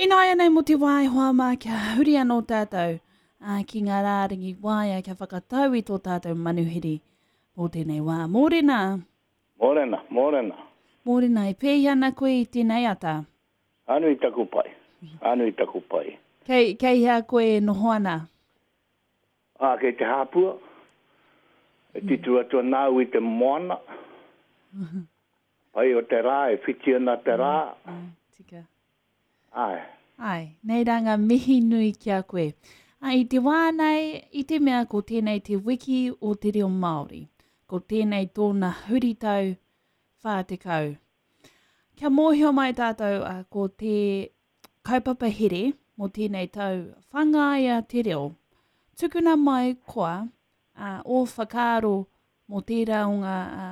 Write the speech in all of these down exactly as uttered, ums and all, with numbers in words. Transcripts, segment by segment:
Ināianei mō te wā e hoa mā kia huri anō tātou ā, ki ngā rārangi waea kia whakatau i tō tātou manuhiri mō tēnei wā. Mōrena! Mōrena, mōrena. Mōrena, e pēhi ana koe i tēnei ata? Anu i taku pai, anu i taku pai. Kei, kei hea koe e noho ana? Ā, kei te hāpua, e titiro atu ana au i te moana. Pai o te rā, e whiti ana te rā. Ai, tika. Āe. Āe, nei rā ngā mihi nui ki a koe. Ā, i te wā nei, i te mea ko tēnei te wiki o te reo Māori. Ko tēnei tōna huritau whā tekau. Kia mōhio mai tātou ā, ko te kaupapa here mō tēnei tau whangaia te reo. Tukuna mai koa ā, ō whakaaro mō tērā o ngā ā,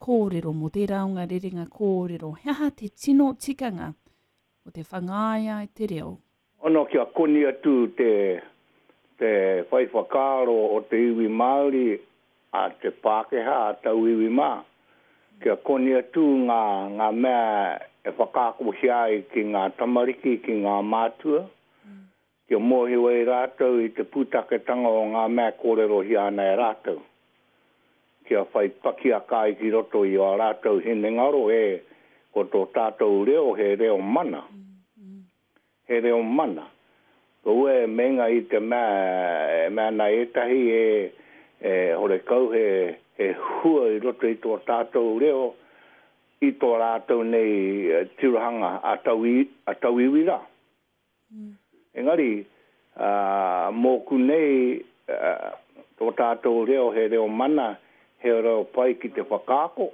kōrero, mō tērā o ngā rerenga kōrero. He aha te tino tikanga o te whangaia te reo? Ono kia koni atu te, te whai whakaaro o te iwi Māori a te Pākehā, a tauiwi mā. Kia koni atu ngā, ngā mea e whakaakohia ai ki ngā tamariki, ki ngā mātua, kia mōhio ai rātou i te pūtaketanga o ngā mea kōrerohia ana e rātou. Kia whai pakiaka ai ki roto i ō rātou hinengaro e ko tō tātou reo he reo mana. He reo mana. Ko ue meinga i te mea, e mea ana ētahi e, e horekau he, he hua i roto i tō tātou reo i tō rātou nei tirohanga a tauiwi, a tauiwi rā. Mm. Engari, uh, mōku nei, uh, tō tātou reo he reo mana, he reo pai ki te whakaako,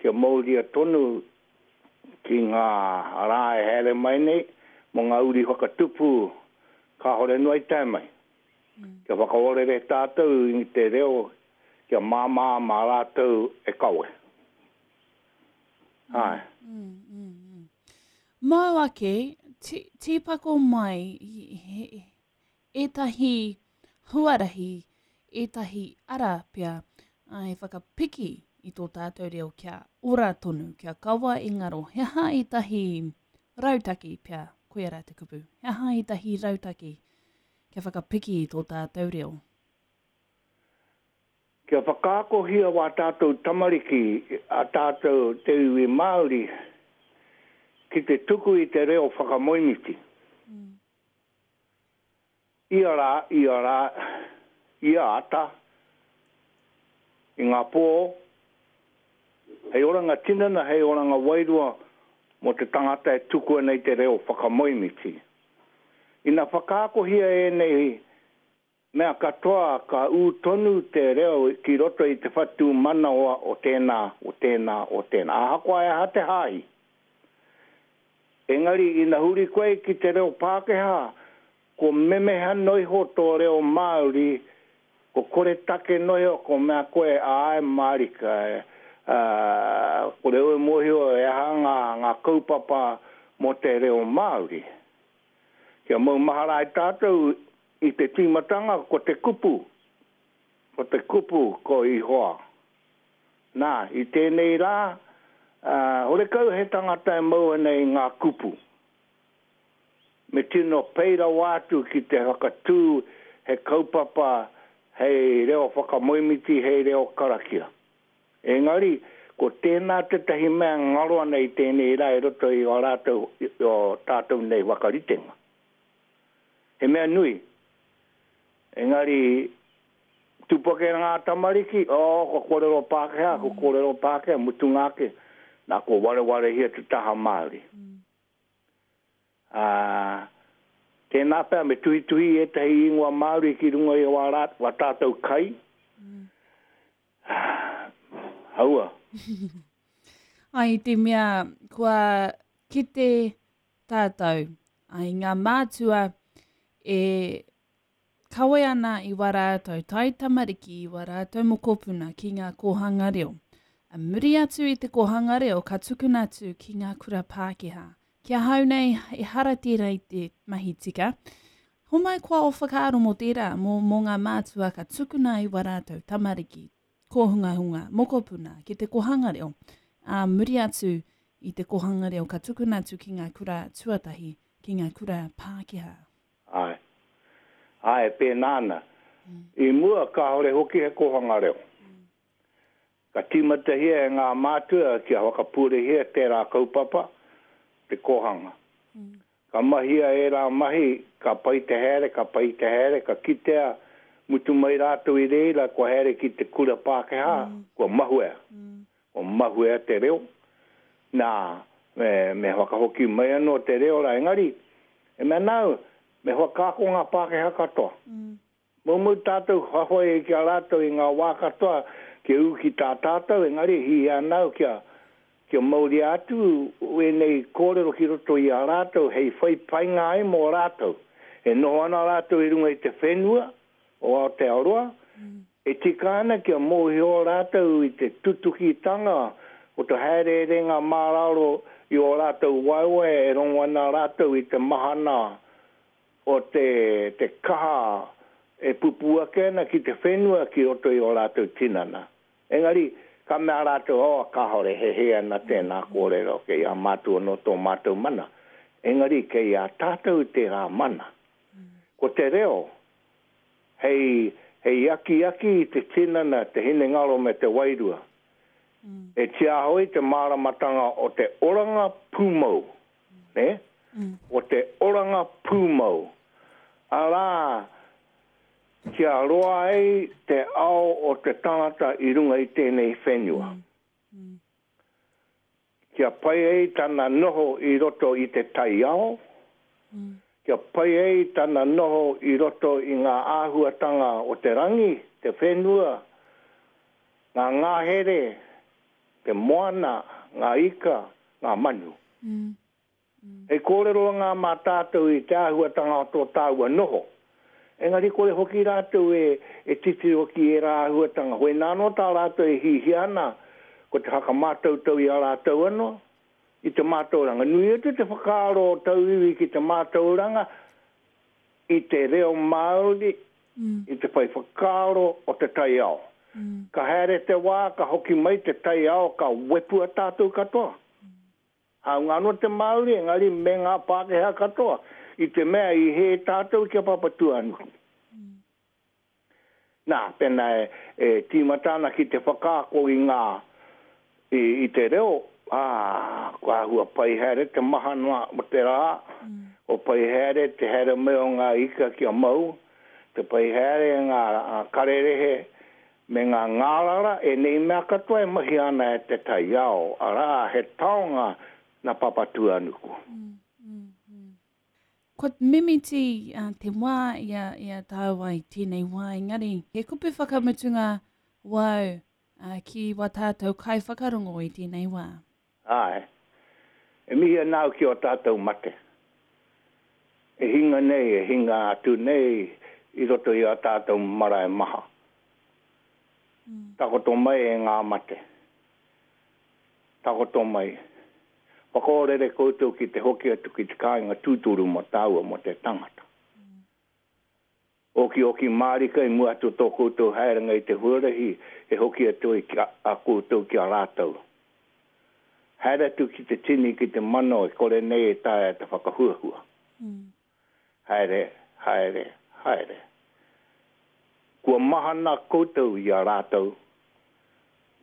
kia mauria tonu ki ngā rā e haere mai nei, mō ngā uri whakatupu kāhore noa i tae mai. Mm. Kia whakaorere tātou i te reo, kia māmā mā rātou e kawe. Mm. Ai. Mm, mm, mm. Mau ake, tīpako mai ētahi huarahi, ētahi ara pea, ai whakapiki i tō tātou reo kia ora tonu, kia kawa i ngaro. He aha ētahi rautaki pea, koia rā te kupu. He aha ētahi rautaki kia whakapiki i tō tātou reo? Kia whakaakohia wā tātou tamariki, a tātou te iwi Māori, ki te tuku i te reo whakamoemiti. Mm. Ia rā, ia rā, ia ata, i ngā pō, hei oranga tinana, hei oranga wairua mō te tangata e tuku ana i te reo whakamoemiti. Ina whakaakohia ēnei mea katoa ka ū tonu te reo ki roto i te whatu manawa o tēnā, o tēnā, o tēnā. Ahakoa e aha te hāhi. Engari, ina huri koe ki te reo Pākehā, ko memeha noa iho tō reo Māori, ko koretake noa iho, ko mea koe āe mārika, uh, ko reo e mōhio e aha ngā, ngā kaupapa mō te reo Māori. Kia maumahara ai tātou i te tīmatanga ko te kupu, ko te kupu ko Ihoa. Nā, i tēnei rā, uh, horekau he tangata e mau ana i ngā kupu. Me tino pei rawa atu ki te whakatū he kaupapa hei reo whakamoemiti, hei reo karakia. Engari, ko tēnā tētahi mea ngaro ana i tēnei rā i roto i o rātou, i o tātou nei whakaritenga. He mea nui. Engari, tupu ake ngā tamariki, oh, ko kōrero Pākehā, ko kōrero Pākehā, mutunga ake, nā ko warewarehia te taha Māori. Mm. Uh, tēnā pea me tuhituhi ētahi ingoa Māori ki runga i wā, rā, wā tātou kai. Mm. Haua. Ai, te mea, kua kite tātou, ai ngā mātua e kawe ana i wā rātou tai tamariki, i wā rātou mokopuna ki ngā kōhanga reo. A muri atu i te kōhanga reo, ka tukuna atu ki ngā kura Pākehā. Ki ahau nei, ehara tērā i te mahi tika. Homai koa o whakaaro mō tērā, mō, mō ngā mātua ka tukuna i wā rātou tamariki, kōhungahunga, mokopuna, ki te kōhanga reo. A muri atu i te kōhanga reo, ka tukuna atu ki ngā kura tuatahi, ki ngā kura Pākehā. Āe. Āe, pēnā ana. Mm. I mua, kāore hoki he kōhanga reo. Mm. Ka tīmatahia e ngā mātua kia whakapūrehia tērā kaupapa, te kōhanga. Mm. Ka mahia ērā mahi, ka pai te haere, ka pai te haere, ka kitea, mutu mai rātou i reira, kua haere ki te kura Pākehā, mm. kua mahuea. Mm. Kua mahuea te reo. Nā, me, me whakahoki mai anō te reo rā. Engari, e mea nāu, me whakaako ngā Pākehā katoa. Mm. Moumou tātou whawhai ki a rātou i ngā wā katoa, kia ū ki tā tātou, engari hihia ana au kia, kia mauria atu ēnei kōrero ki roto i a rātou hei whai painga ai mō rātou. E noho ana rātou i runga i te whenua o Aotearoa, mm. e tika ana kia mōhio rātou i te tutukitanga o te haereerenga māraro i ō rātou waewae e rongo ana rātou i te mahana o te, te kaha e pupū ake ana ki te whenua ki roto i ō rātou tinana. Engari, ka mea rātou, oh, kāore, he hē ana tēnā kōrero, kei a mātou anō tō mātou mana. Engari, kei a tātou tērā mana. Ko te reo, hei, hei akiaki i te tinana, te hinengaro me te wairua. Mm. E tiaho i te māramatanga o te oranga pūmau. Mm. Ne? Mm. O te oranga pūmau. Arā, kia roa ai te ao o te tangata i runga i tēnei whenua. Mm. Mm. Kia pai ai tana noho i roto i te taiao, mm. kia pai ai tana noho i roto i ngā āhuatanga o te rangi, te whenua, ngā ngahere, te moana, ngā ika, ngā manu. Mm. Mm. Hei kōrero ngā mā tātou i te āhuatanga o tō tāua noho. Engari kore hoki rātou e, e titiro ki ērā āhuatanga. Hoi nā anō tā rātou e hihia ana, ko te whakamātautau i a rātou anō, i te mātauranga. Nui atu te whakaaro o tauiwi ki te mātauranga, i te reo Māori, mm. i te whai whakaaro o te taiao. Mm. Ka haere te wā, ka hoki mai te taiao, ka wepua tātou katoa. Mm. Hāunga anō te Māori, engari me ngā Pākehā katoa, i te mea i hē tātou ki a Papatūānuku. Mm. Nā, pēnā e, e tīmata ana ki te whakaako i ngā, i, i te reo, ā, kua āhua pai haere te mahana o te rā, mm. o pai haere te haere mai o ngā ika kia mau, te pai haere ngā karerehe me ngā ngārara, ēnei mea katoa e mahi ana e te taiao, arā, he taonga nā Papatūānuku. Mm, mm, mm. Kua mimiti uh, te wā i a, i a tāua i tēnei wā, engari he kupu whakamutunga wau uh, ki wā tātou kaiwhakarongo i tēnei wā. Āe, e mihi ana au ki o tātou mate. E hinga nei, e hinga atu nei i roto i a tātou marae maha. Mm. Takoto mai e ngā mate. Takoto mai. Whakaorere koutou ki te hoki atu ki te kāinga tūturu mō tāua mō te tangata. Mm. Oki oki mārika i mua atu tō koutou haerenga i te huarahi e hoki atu ai ki a, a koutou ki a rātou. Haere atu ki te tini ki te mano e kore nei e taea te whakahuahua. Mm. Haere, haere, haere. Kua mahana koutou i a rātou,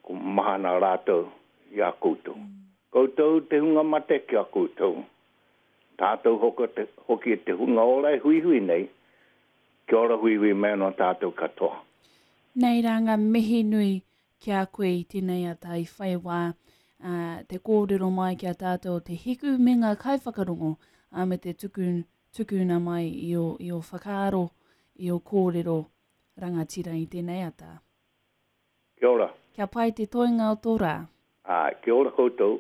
kua mahana rātou i a koutou. Mm. Koutou te hunga mate ki a koutou. Tātou hoki te, hoki te hunga ora e huihui nei, kia ora huihui mai anō tātou katoa. Nei rā ngā mihi nui ki a koe i tēnei ata i whai wā uh, te kōrero mai ki a tātou o Te Hiku me ngā kaiwhakarongo uh, me te tuku, tukuna mai i o, i o whakaaro, i o kōrero rangatira i tēnei ata. Kia ora. Kia pai te toenga o tō rā. Ā, kia ora koutou.